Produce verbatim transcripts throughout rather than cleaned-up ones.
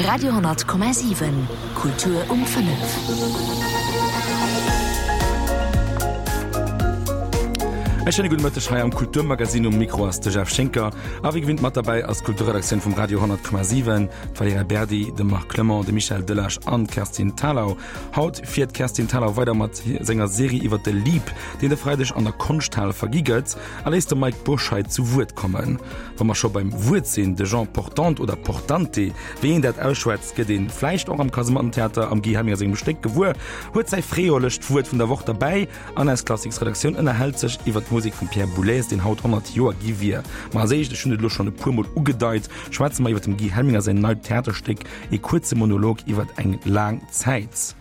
Radio honnert Komma siwen, Kultur um fënnef. E schéine gudde Mëtteg hei am Kulturmagazin. Um Mikro ass de Jeff Schinker a wéi gewinnt mat derbäi ass d'Kulturredaktioun vum Radio honnert Komma siwen, d'Valerija Berdi, de Marc Clement, de Michel Delage an d'Kerstin Thalau. Haut fiert d'Kerstin Thalau weider mat senger Serie iwwer de Leap, deen de Freideg an der Konschthal vergi gëtt, a léisst de Mike Bourscheid zu Wuert kommen. Wa mer scho beim Wuert sinn, de Jean Portante oder Portante, wéi een dat ausschwätzt, gëtt ee vläicht och am Kasemattentheater am Guy Helminger sengem Stéck gewuer, huet säi freolecht Wuert vun der Woch derbäi an eis Klassiksredaktioun ënnerhält sech iwwer d'Musek vum Pierre Boulez, deen haut honnert Joer gi wier. Ma als éischt, ech hunn et elo schonn e puer Mol ugedeit, schwätze mer iwwer dem Guy Helminger säin neit Theaterstéck E kuerze Monolog iwwer eng laang Zäit.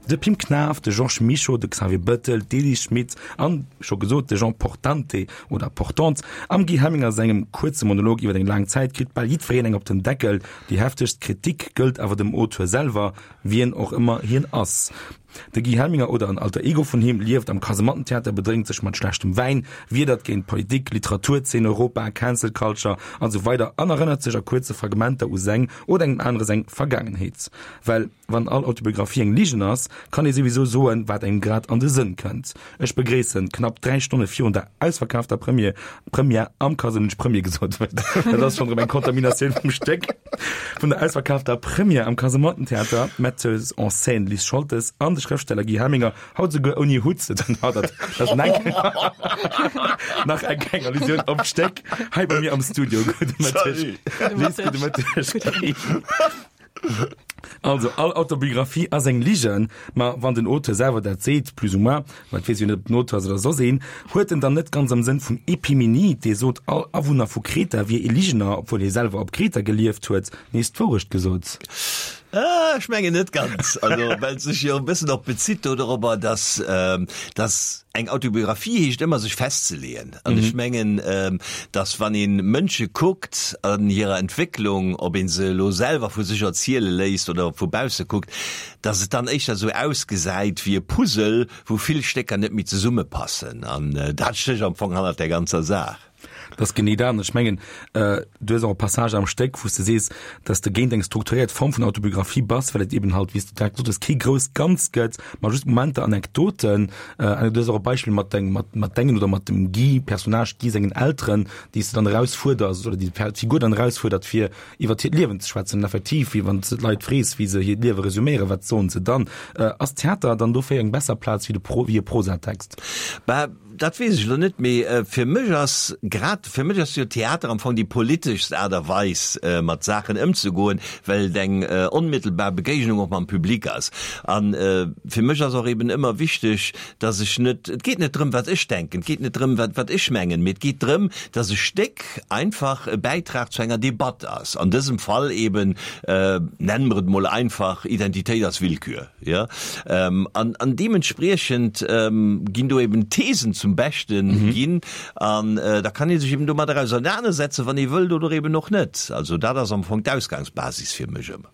De Pim Knaff, de Georges Mischo, de Xavier Bettel, d'Elise Schmit an, scho gesot, de Jean Portante oder Portante. Am Guy Helminger sengem kuerze Monolog iwwer eng laang Zäit kritt bal jiddwereen eng op den Deckel. Déi heftegst Kritik gëllt awer dem Auteur selwer, wien och ëmmer hien ass. De Guy Helminger oder en Alter Ego vun him lieft am Kasemattentheater, bedrénkt sech mat schlechtem Wäin, wiedert géint Politik, Literaturzeen, Europa, Cancel Culture an esou weider an erënnert sech a kuerze Fragmenter u seng oder engem anere seng Vergaangenheet. Well wann all Autobiographie eng Ligen ass, kann ee souwisou soen, wat engem grad an de Sënn kënnt. Ech begréissen knapp dräi Stonne virun der ausverkaafter Première, Première am Casino, hunn ech Premier gesot, dat ass schonn erëm eng Kontaminatioun vum Stéck, vun der ausverkaafter Première am Kasemattentheater, d'Metteuse en scène Liz Scholtes an de Schrëftsteller Guy Helminger, haut souguer ouni Hutt, dat ass nach eng kleng Allusioun op d'Stéck, hei bei mir am Studio. Gudde Mëtteg, Liz, gudde Mëtteg, Guy. Also, all Autobiographie ass eng Ligen, ma wann den Auteur selwer dat seet, plus ou moins, ma et weess jo net, ob den Auteur ass oder soss een, huet en dann net ganz am Sënn vum Epimenid, dee sot, all Awunner vu Kreta wier ee Ligener, obwuel hie selwer op Kreta gelieft huet, nees d'Wourecht gesot? Ah, ech mengen net ganz. Also, well et sech jo e bëssen och bezitt do dorobber, dass, dass eng Autobiographie heescht ëmmer sech festzeleeën. An ech mengen, dass wann ee Mënsche kuckt an hirer Entwécklung, ob ee se elo selwer vu sech erziele léisst oder vu bausse kuckt, dass et dann éischter esou ausgesäit wéi e Puzzle, wou vill Stécker net méi zesummepassen. An dat stécht am Fong hannert där ganzer Saach. Dat ass genee dat. An ech mengen, du hues och e Passage am Stéck, wou s de sees, dass de géint eng strukturéiert Form vun Autobiographie bass, well et eben halt, wéi s de direkt gesot hues, kee grousst Ganzt gëtt, ma just Momenter, Anekdoten. An du hues och e Beispill mat deng, mat, mat dengen oder mat dem Guy, Personnage Guy sengen Elteren, déi s de dann erausfuerders oder déi d'Figur dann erausfuerdert, fir iwwert hiert Liewen ze schwätzen. An effektiv, wéi wann s de d'Leit frees, wéi se hiert Liewe resuméieren, wat soen se dann? Ass Theater dann dofir eng besser Plaz wéi de Pro, wéi e Prosatext? Bah, dat weess ech elo net, mee fir mech ass grad, fir mech ass jo Theater am Fong déi politeschst Aart a Weis, mat Saachen ëmzegoen, well et eng onmittelbar Begéignung och mam Public ass. A fir mech ass och eben ëmmer wichteg, dass ech net, et geet net drëm, wat ech denken, et geet net drëm, wat, wat ech mengen, mee et geet drëm, dass e Stéck einfach e Bäitrag zu enger Debatt ass, an dësem Fall eben, nennen mer et mol einfach, Identitéit ass Willkür. Jo, an, an deementspriechend ginn do eben Thesen zum Beschten ginn an da kann ee sech eben domadder ausernanersetzen, wann ee wëllt oder eben och net. Also dat ass am Fong d'Ausgangsbasis fir mech ëmmer.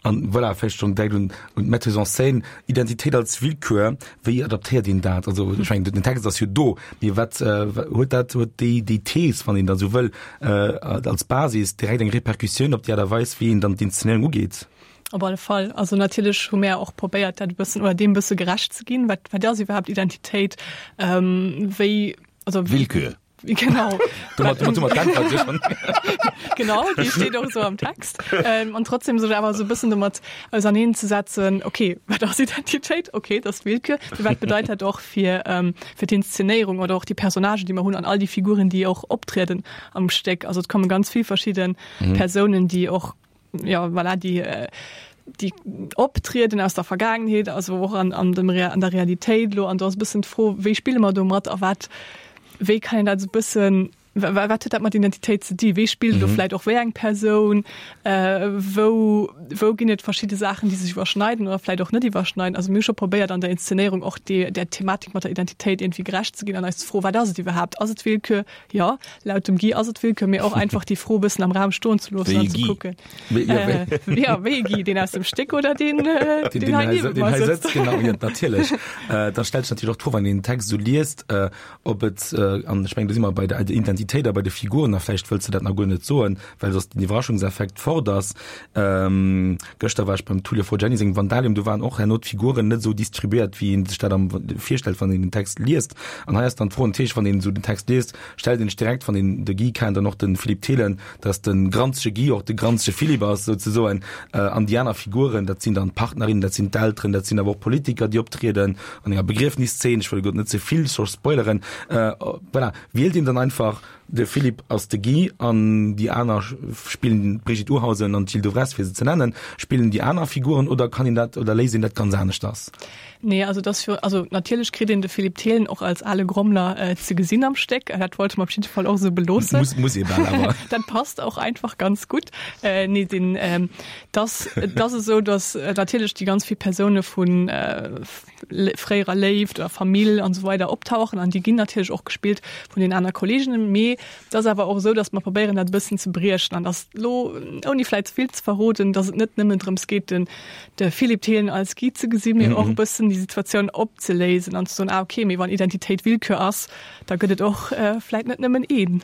An voilà, vläicht schonn direkt un, un d'Metteuse en scène, Identitéit als Willkür, wéi adaptéiert een dat? Also ech mengen, den Text ass jo do, mee wat huet dat, huet déi, déi Thees, wann een da sou wëll, als Basis direkt eng Repercussioun op déi Aart a Weis, wéi een dann d'Inszenéierung ugeet? Op alle Fall. Also natierlech hu mär och probéiert, dat e bëssen oder deem e bësse gerecht ze ginn. Wat, wat ass iwwerhaapt Identitéit? Ähm, wéi, also. Willkür. Genau. Domat, domat hu mer d'Äntwert jo schonn. Genau, déi steet och esou am Text. Ähm, an trotzdem sech awer esou e bëssen domat auserneenzesetzen, okay, wat ass Identitéit? Okay, dat ass Willkür. Mee wat bedeit dat och fir, ähm, fir d'Inszenéierung oder och déi Personnagen, déi mer hunn an all déi Figuren, déi och optrieden am Stéck? Also et komme ganz vill verschidde Persounen, déi och ja voilà, déi äh, déi optrieden aus der Vergaangenheet, also och an, an, dem, an der Realitéit lo an do ass bëssen d'Fro, wéi spille mer domat a wat wéi kann een dat esou bëssen wat huet dat mat Identitéit ze di? Wéi spillt do mhm. vläit och wéi eng Persoun? Äh, wou, wou ginn et verschidde Saachen, déi sech iwwerschneiden oder vläit och net iwwerschneiden? Also mir hu scho probéiert an der Inszenéierung och déi, der Thematik mat der Identitéit irgendwie gerecht ze ginn an eis d'Fro, wat ass et iwwerhaapt? Ass et Willkür? Jo, laut dem Guy ass et Willkür, mee och einfach déi Fro e bëssen am Raum stoen ze loossen an ze kucken. Wéi e Guy? Jo, wéi e Guy, deen aus dem Stéck oder deen, deen hei niewent mer sëtzt. Deen hei sëtzt, genau, jo, natierlech. Da stellt sech natierlech och d'Fro, wann een den Text esou liest, ob et, an ech mengen, do si mer bei der Identitéit, Identitéit a bei de Figuren, a vläicht wëlls de dat nach guer net soen, well soss den Iwwerraschungseffekt fort ass. Ähm, gëschter war ech beim Tullio Forgiani sengem Vandalium, do waren och herno d'Figuren net esou distribuiert, wéi een sech dat am virstellt, wann een den Text liest. An hei ass dann d'Fro natierlech, wann een esou den Text liest, stellt een sech direkt, wann een de Guy kennt an och de Philippe Thelen, dass de granzege Guy och de granzege Philippe ass, souzesoen. An déi aner Figuren, dat sinn dann d'Partnerinnen, dat sinn d'Elteren, dat sinn awer och Politiker, déi optrieden an enger Begriefnisszeen. Ech wëll guer net ze vill scho spoileren. Voilà, wielt een dann einfach de Philippe ass de Guy an déi aner spillen d'Brigitte Urhausen an d'Jill Devresse, fir se ze nennen, spillen déi aner Figuren oder kann een dat oder léisst een dat ganz aneschters? Nee, also dat ass jo, also natierlech kritt een de Philippe Thelen och als ale Grommler ze gesinn am Stéck. Dat wollte mer op jidde Fall och esou beloossen. Muss, muss ee bal awer. Dat passt och einfach ganz gutt. Nee, den, dass, et ass esou, dass natierlech déi ganz vill Persoune vu fréierer Léift oder Famill an esou weider optauchen an déi ginn natierlech och gespillt vun den aner Kolleeginnen. Mee et ass awer och esou, dass mer probéieren, dat e bëssen ze briechen an dass elo, ouni vläicht ze vill ze verroden, dass et net nëmmen drëms geet, den de Philippe Thelen als Guy ze gesinn, mee och e bëssen déi Situatioun opzeléisen an ze soen, ah okay, mee wann Identitéit Willkür ass, da gëtt et och vläicht net nëmmen een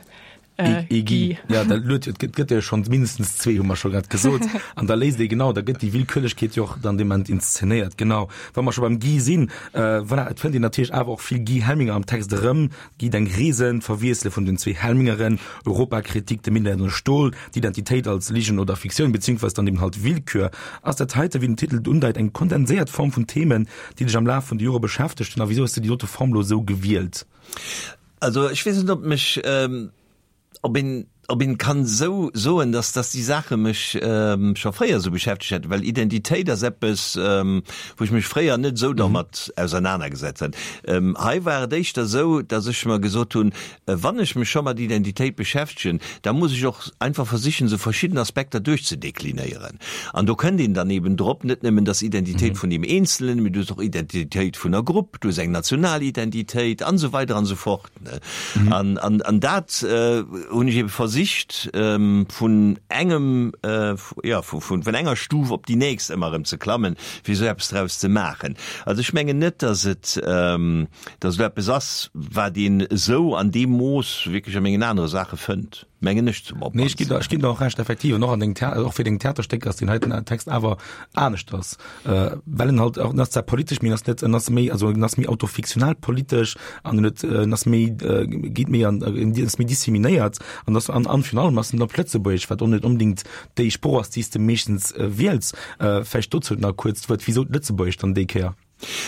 Ee Guy. Ja, da luet jo, et gëtt jo schonn mindestens zwee, hu mer scho grad gesot. An da léist ee genau, da gëtt déi Willkürlechkeet jo och dann dee Moment inszenéiert. Genau. Wa mer scho beim Guy sinn, voilà, et fënnt een natierlech awer och vill Guy Helminger am Text erëm. Guy Deng Reesen, d'Verwiessele vun den zwee Helmingeren, Europakritik, de Minett an de Stol, d'Identitéit als Ligen oder Fiktioun, beziehungsweise dann eben halt Willkür. Ass dat heite, wéi den Titel et undeit, eng kondenséiert Form vun Themen, déi dech am Laf vun de Jore beschäftegt hunn? A wisou hues de déi dote Form lo esou gewielt? Also ech weess net, ob mech, ob een, ob een kann esou soen, dass, dass déi Saache mech scho fréier esou beschäftegt hätten, well Identitéit ass eppes, wou ech mech fréier net esou dermat ausernanergesetzt hat. Hei war et éischter esou, dass ech mer gesot hunn, wann ech mech scho mat Identitéit beschäftegen, da muss ech och einfach versichen, esou verschidden Aspekter duerchzedeklinéieren. An do kënnt een dann eben drop, net nëmmen dass Identitéit vun deem Eenzelen, mee du hues och Identitéit vun der Grupp, du hues eng national Identitéit an esou weider an esou fort. An, an, an dat hunn ech ebe versicht, vun engem, jo, vun, vun enger Stuf op déi nächst ëmmer erëm ze klammen, fir esou eppes draus ze maachen. Also ech mengen net, dass et, dass et elo eppes ass, wat een esou an deem Mooss wierklech a mengen anere Saache fënnt, mengen ech zum Nee, ech ginn der, ech ginn der och Recht, effektiv. An och an dengem Thea-, och fir deng Theaterstécker ass deen heiten Text awer aneschters, well en halt och, en ass zwar politesch, mee en ass net, en ass méi, also en ass méi autofiktional politesch an en huet, en ass méi, geet méi an, en ass méi disseminéiert an ass, an, an virun allem ass en op Lëtzebuergesch, wat och net onbedéngt déi Sprooch ass, déi s de meeschtens wiels. Vläicht dozou nach kuerz d'Wuert, Wisou d'Lëtzebuergescht dann déi Kéier?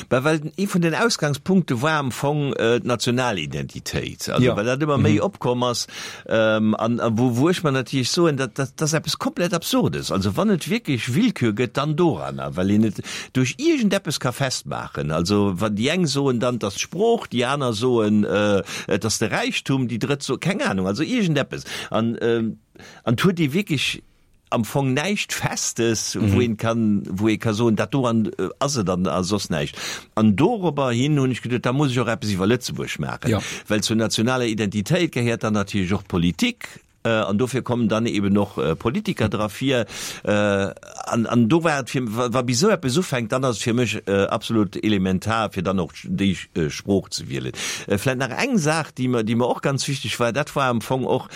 Bah, well ee vun den Ausgangspunkte war am Fong d'Nationalidentitéit, also well dat ëmmer méi opkomm ass an wou wou ech mer natierlech soen, dat dat ass eppes komplett Absurdes. Also wann et wierklech Willkür gëtt, dann doranner, well een et duerch iergendeppes ka festmaachen. Also wann déi eng soen dann, et ass d'Sprooch, déi aner soen, et ass de Räichtum, déi drëtt soen, keng Anung, also iergendeppes. An an et huet ee wierklech am Fong näischt Festes, wou een kann, wou ee ka soen, dat do an ass et an a soss näischt. An dorobber hin hunn ech geduet, da muss ech och eppes iwwer Lëtzebuerg maachen, well zur nationaler Identitéit gehéiert dann natierlech och d'Politik, an dofir kommen dann eben och Politiker dra vir. An, an do war et fir, wa bis esou eppes ufänkt, dann ass et fir mech absolut elementar, fir dann och déi Sprooch ze wielen. Vläicht nach eng Saach, déi mer, déi mer och ganz wichteg war, dat war am Fong och,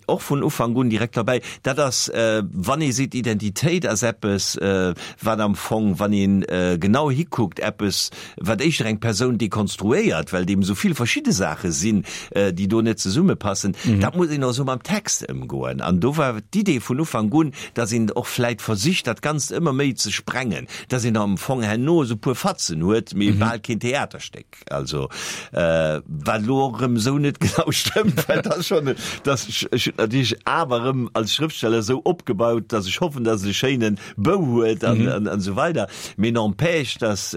och vun Ufank un direkt derbäi, dat ass, wann ee seet, Identitéit ass eppes, wat am Fong, wann ee genau hikuckt, eppes, wat éischter eng Persoun dekonstruéiert, well et eben esou vill verschidde Saache sinn, déi do net zesummepassen, dat muss een och esou mam Text ëmgoen. An do war d'Idee vun Ufank un, dass een och vläit versicht, dat Ganzt ëmmer méi ze sprengen, dass een am Fong herno esou e puer Fatzen huet, mee bal keen Theaterstéck. Also, wat elo och erëm esou net genau stëmmt, well dat schonn, dass ech, ech hunn natierlech awer erëm als Schrëftsteller esou opgebaut, dass ech hoffen, dass et e schéine Bou huet an, an, an esou weider. Mee n'empêche, dass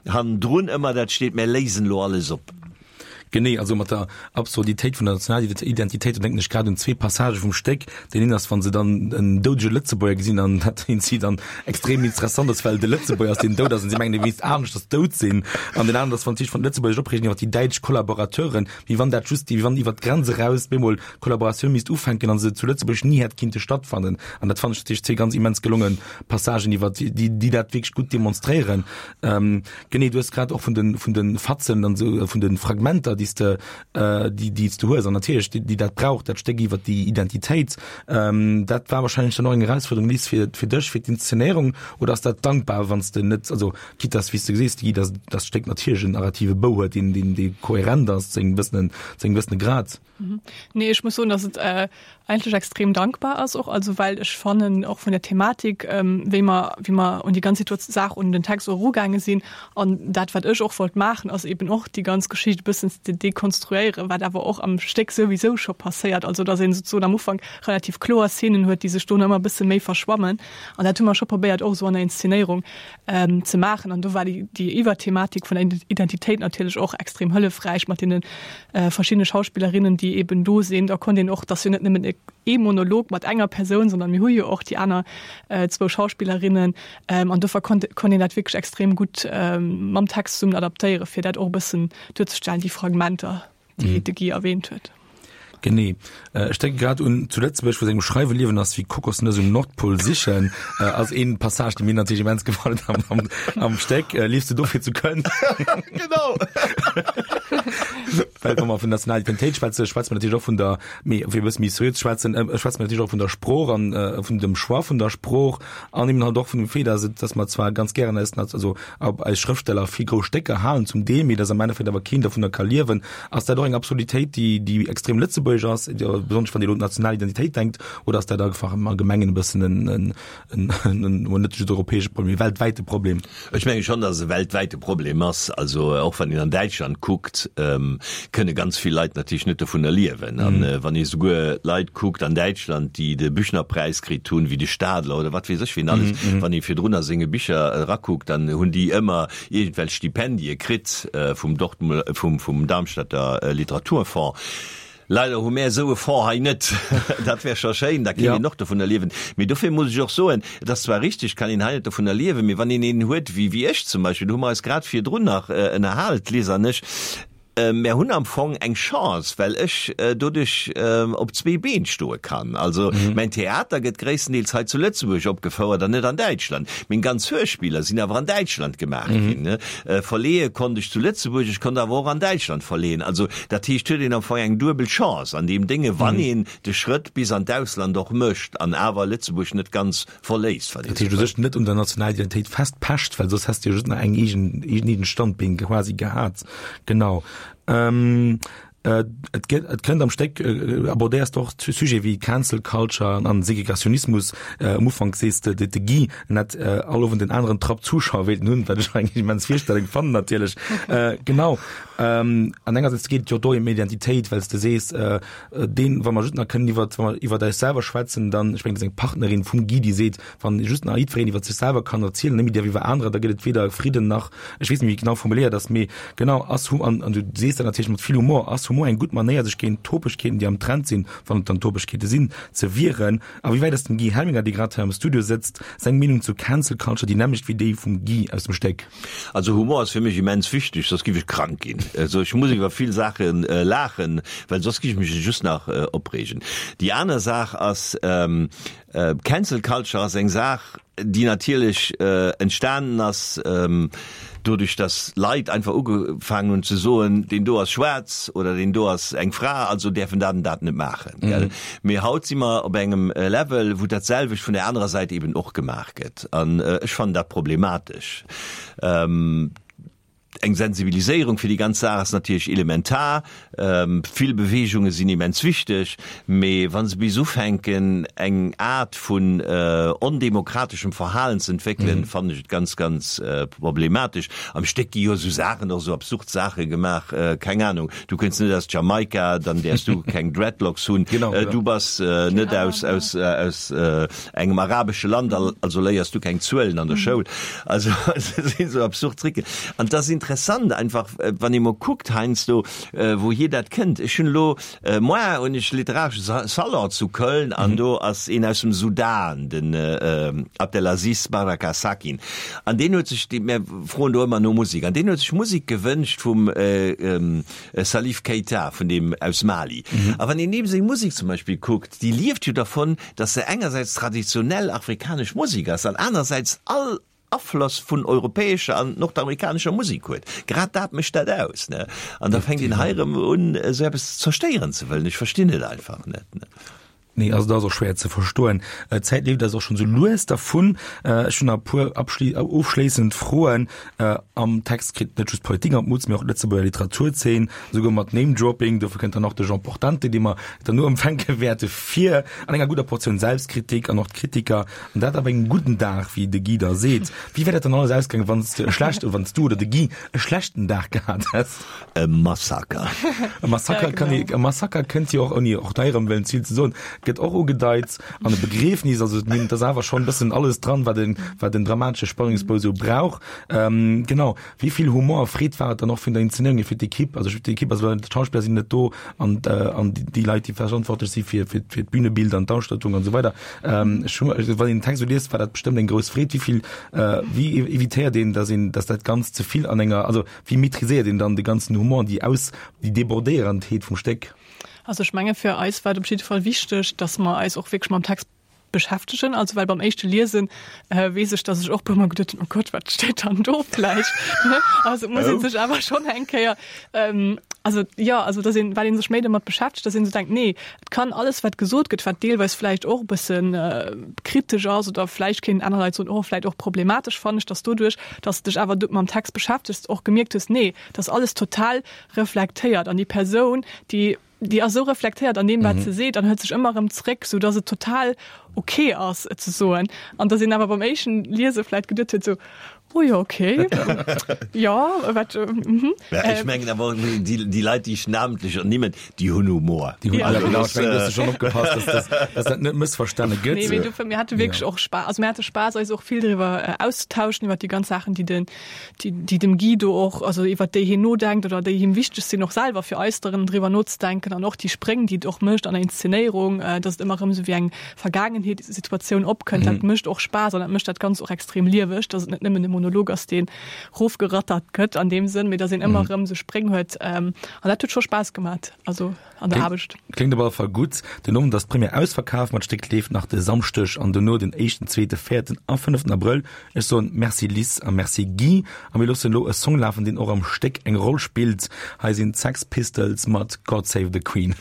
hannendrun ëmmer dat steet, Mär léisen elo alles op. Genee, also mat der Absurditéit vun der Nationalidentitéit, do denken ech grad un zwee Passagë vum Stéck. Deen een ass, wa se dann en doudege Lëtzebuerger gesinn an dat een si dann extrem interessant ass, well et e Lëtzebuerger ass, deen dout ass an si mengen, e wéisst aneschters dout sinn. An deen aneren ass, wann si sech vun de Lëtzebuerger opreegen iwwer déi däitsch Kollaborateuren, wéi wann dat just, wéi wann iwwer d'Grenz eraus bemol d'Kollaboratioun misst ufänken an se zu Lëtzebuerg ni hätt kinnte stattfannen. An dat fannen ech natierlech zwee ganz immens gelonge Passagen iwwer déi, déi dat wierklech gutt demonstréieren. Genee, du hues grad och vun de, vun de Fatzen an esou, vun de Fragmenter, déi s de, déi, déi s de hues an natierlech déi, déi dat brauch, dat Stéck iwwer déi Identitéit. Dat war wahrscheinlech dann och eng Erausfuerderung, Liz, fir, fir dech, fir d'Inszenéierung, oder ass dat dankbar, wann s de net, also quitte dass, wéi s de gesees, Guy, dass dat Stéck natierlech en narrative Bou huet, deen, deen, dee kohärent ass zu engem gewëssenen, zu engem gewëssene Grad. Nee, ech muss soen, dass et eigentlech extrem dankbar ass och, also well ech fannen och vun der Thematik, wéi mer, wéi mer un déi ganz Saach, un den Text och erugaange sinn an dat wat ech och wollt maachen, ass eben och déi ganz Geschicht e bëssen ze dekonstruéieren, wat awer och am Stéck souwisou scho passéiert, also dass een souzesoen am Ufank relativ kloer Szenen huet, déi sech dono ëmmer e bësse méi verschwammen an dat hu mer scho probéiert och esou an der Inszenéierung ze maachen an do war déi, déi Iwwerthematik vun der Identitéit natierlech och extrem hëllefräich mat deene verschiddene Schauspillerinnen, déi eben do sinn. Da konnt een och, et ass jo net nëmmen ee Monolog mat enger Persoun, sondern mir hu jo och déi aner zwou Schauspillerinnen an dofir konnt konnt een dat wierklech extrem gutt mam Text zesummen adaptéieren, fir dat och e bëssen duerzestellen, déi Fragmenter, déi de Guy erwähnt huet. Genee. Ech denke grad un zu Lëtzebuerg, wou sengem Schreiwe Liewen ass wéi Kokosnëss um Nordpol sichen, ass een Passage, dee mir natierlech immens gefall huet am, am, am Stéck. Liefs du dofir zu Köln? Genau! Well wa mer vun nationaler Identitéit schwätzen, schwätze mer natierlech och vun der, mee fir e bësse méi seriö ze schwätzen, schwätze mer natierlech och vun der Sprooch an vun dem Choix vun der Sprooch an eben halt och vun dem Fait, dass et, dass mer zwar ganz gären eis, also eis Schrëftsteller vill grouss Stécker halen zum Deel, mee dass am Endeffekt awer keen dovunner ka liewen. Ass dat och eng Absurditéit, déi, déi extrem lëtzebuergesch ass, besonnesch wann Dir elo un d'national Identitéit denkt, oder ass dat einfach am Allgemengen e bëssen en, en, en, en, net just europäesche Problem, mee weltwäite Problem? Ech menge schonn, dass et e weltwäite Problem ass. Also och wann een an Däitschland kuckt, kënne ganz vill Leit natierlech net dovunner liewen. An wann ee souguer Leit kuckt an Däitschland, déi de Büchnerpräis kritt hunn, wéi de Stadler oder wat weess ech wien alles, wann ee virdrun a senge Bicher erakuckt, dann hunn déi ëmmer iergendwelch Stipendie kritt vum Dortmund, vum, vum Darmstädter Literaturfonds. Leider hu mär esou e Fonds hei net. Dat wär scho schéin, da kéint een och dovunner liewen. Mee dofir muss ech och soen, et ass zwar richtig, et kann een hei net dovunner liewen, mee wann een een huet wéi, wéi ech zum Beispill, do hu mer eis grad virdrun nach ënnerhal, d'Liz an ech, mär hunn am Fong eng Chance, well ech doduerch op zwee Been stoe kann. Also mäin Theater gëtt gréisstendeels hei zu Lëtzebuerg opgefouert an net an Däitschland. Meng ganz Hörspiller sinn awer an Däitschland gemaach ginn. Verleeë konnt ech zu Lëtzebuerg, ech konnt awer och an Däitschland verleeën. Also dat heescht, huet een am Fong eng duebel Chance an deem Dénge, wann een de Schrëtt bis an d'Ausland och mécht an awer Lëtzebuerg net ganz verléisst, wann een Dat heescht u sech net un der nationaler Identitéit festpecht, well soss häss de jo just nach eng eegen, een eegent Standbeen quasi gehat. Genau. Et gëtt, et kënnt am Stéck, abordéiers de och Sujete wéi Cancel Culture an Segregationismus. Am Ufank sees de, de Guy, en hätt all Owend en aneren Trapp Zuschauer wéilten hunn, wat ech eng immens Virstellung fannen natierlech. Genau. An engersäits geet et jo do ëm Identitéit, well s de sees, deen, wa mer just nach kënnen iwwer, wa mer iwwer eis selwer schwätzen, dann, ech mengen, dat ass eng Partnerin vum Guy, déi seet, wann just nach jiddwereen iwwer sech selwer kann erzielen, net méi däerf iwwer anerer, da gëtt et weder Fridden nach, ech weess net, wéi genau formuléiert ass, mee genau, ass Hu, an, an du sees dat natierlech mat vill Humor, ass Humor eng gutt Manéier, sech géint Topegkeeten, déi am Trend sinn, wann et dann Topegkeete sinn, ze wieren? A wéi wäit ass dem Guy Helminger, dee grad hei am Studio sëtzt, seng Meenung zu Cancel Culture déi nämmlecht wéi déi vum Guy aus dem Stéck? Also Humor ass fir mech immens wichteg, soss giff ech krank ginn. Also ech muss iwwer vill Saache laachen, well soss giff ech mech just nach opreegen. Déi aner Saach ass, Cancel Culture ass eng Saach, déi natierlech entstanen ass doduerch, datt Leit einfach ugefaangen hunn ze soen, deen do ass schwaarz oder deen do ass eng Fra, also däerf en dat an dat net maachen. Gell? Mee haut si mer op engem Level, wou dat selwecht vun der anerer Säit eben och gemaach gëtt. An ech fannen dat problematesch. Eng Sensibiliséierung fir déi ganz Saach ass natierlech elementar. Vill Beweegunge sinn immens wichteg, mee wa se bis ufänken, eng Aart vun ondemokrateschem Verhalen ze entwéckelen, fannen ech et ganz, ganz problematesch. Am Stéck gi jo esou Saachen, och esou absurd Saache gemaach, keng Anung, du kënns net aus Jamaika, dann däerfs du keng Dreadlocks hunn, du bass net aus, aus, aus engem arabesche Land, also léiers du keng Zuelen an der Schoul. Also et sinn esou absurd Tricken. An et ass interessant einfach, wann ee mol kuckt heiansdo, wouhier dat kënnt. Ech hunn elo, moar hunn ech literaresche Salon zu Köln an do ass een aus dem Sudan, den Abdelaziz Baraka Sakin. An deen huet sech, mär froen do ëmmer no Musek, an deen huet sech Musek gewënscht vum Salif Keita, vun deem aus Mali. A wann een deem seng Musek zum Beispill kuckt, déi lieft jo dervon, dass se engersäits traditionell afrikanesch Musek ass an anersäits all Afloss vun europäescher an nordamerikanescher Musek huet. Grad dat mécht dat aus, ne? An da fänkt een hei erëm un, esou eppes zerstéieren ze wëllen. Ech verstinn et einfach net, ne? Nee, also dat ass och schwéier ze verstoen. D'Zäit leeft eis och schonn esou lues dervun. Ech hunn nach e puer ofschléissend Froen. Am Text kritt net just d'Politik an d'Mutz, mee och d'Lëtzebuerger Literaturzeen, esouguer mat Name-Dropping. Dofir kënnt dann och de Jean Portante, dee mer derno empfänke wäerte vir, an enger gudder Portioun Selbstkritik an och d'Kritiker. An dat op engem gudden Dag, wéi de Guy da seet. Wéi wär dat dann alles ausgaangen, wann s de e schlecht, wann s du oder de Guy e schlechten Dag gehat häss? E Massaker. E Massaker ja, kann e Massaker kënnt jo och ouni och hei erëm wëllen ze vill ze soen, gëtt och ugedeit an e Begriefnis, also et ass awer schonn e bëssen alles dran, wat en wat en dramatesche Spannungsbou sou brauch. Ähm, genau. Wéi vill Humor a Freed war et dann och vun der Inszenéierung hier fir d'Ekipp, also d'Ekipp, also d'Schauspiller sinn net do an äh, an déi Leit, déi verantwortlech si fir fir fir d'Bühnebild an d'Ausstattung an esou weider. Ähm, ech hu, wann een den Text esou liest, war dat bestëmmt eng grouss Freed. Wéi vill äh, wéi evitéiert een, dass een, dass dat Ganzt ze vill an enger, also wéi maîtriséiert een dann de ganzen Humor an déi aus, déi Débordéierendheet vum Stéck? Also ech menge fir eis war et op jidde Fall wichteg, dass mer eis och wierklech mam Text beschäftegen. Also well beim éischte Liesen äh, weess ech, dass ech och puermol geduet hunn, oh Gott, wat steet dann do vläicht? Ne? Also et muss een sech awer schonn eng Kéier, ähm, also jo, also dass een, well een sech méi domat beschäftegt, dass een esou denkt, nee, et kann alles wat gesot gëtt, wat deelweis vläicht och e bëssen äh, kritesch ass oder vläicht kéinten aner Leit soen, oh vläicht och problematesch, fannen ech, dass doduerch, dass de dech awer mam Text beschäftegs, och gemierkt hues, nee, dat ass alles total reflektéiert an déi Persoun, déi déi ass esou reflektéiert an deem, wat se seet an hëlt sech ëmmer erëm zréck, sou dass et total ok ass, et ze soen. An dass een awer beim éischten Liese vläicht geduet huet, sou, Oh jo, ok, jo, wat, mhm. Ja, ech mengen awer, déi, déi Leit, déi ech namentlech ernimmen, déi hunn Humor. Déi hunn, ja, genau, ech mengen, du hues schonn opgepasst, dass, dass, dass dat net mëssverstane gëtt. Nee, mee dofir, mir hate wierklech och Spaass, also mir hate Spaass, eis och vill driwwer auszetauschen, iwwer déi ganz Saachen, déi den, déi, déi dem Guy do och, also iwwer déi hien nodenkt oder déi him wichteg sinn, och selwer fir eis erëm driwwer nozedenken an och déi Spréng, déi et och mécht an der Inszenéierung, dass et ëmmer erëm esou wéi eng Vergaangenheetssituatioun opkënnt, dat mécht och Spaass an dat mécht dat Ganzt och extrem lieweg, dass et net nëmmen e Monolog ass, deen rofgerattert gëtt an deem Sënn, mee dass een ëmmer erëm esou Spréng huet. An dat huet scho Spaass gemat, also an der Aarbecht. Kléngt op alle Fall gutt. Den Owend ass d'Première ausverkaf, ma d'Stéck leeft nach de Samschdeg an dono den éischten, zweete, véierten a fënneften Abrëll. Ech soen Merci Liz a Merci Guy a mir loossen elo e Song lafen, deen och am Stéck eng Roll spillt. Hei sinn d'Sex Pistols mat God Save the Queen.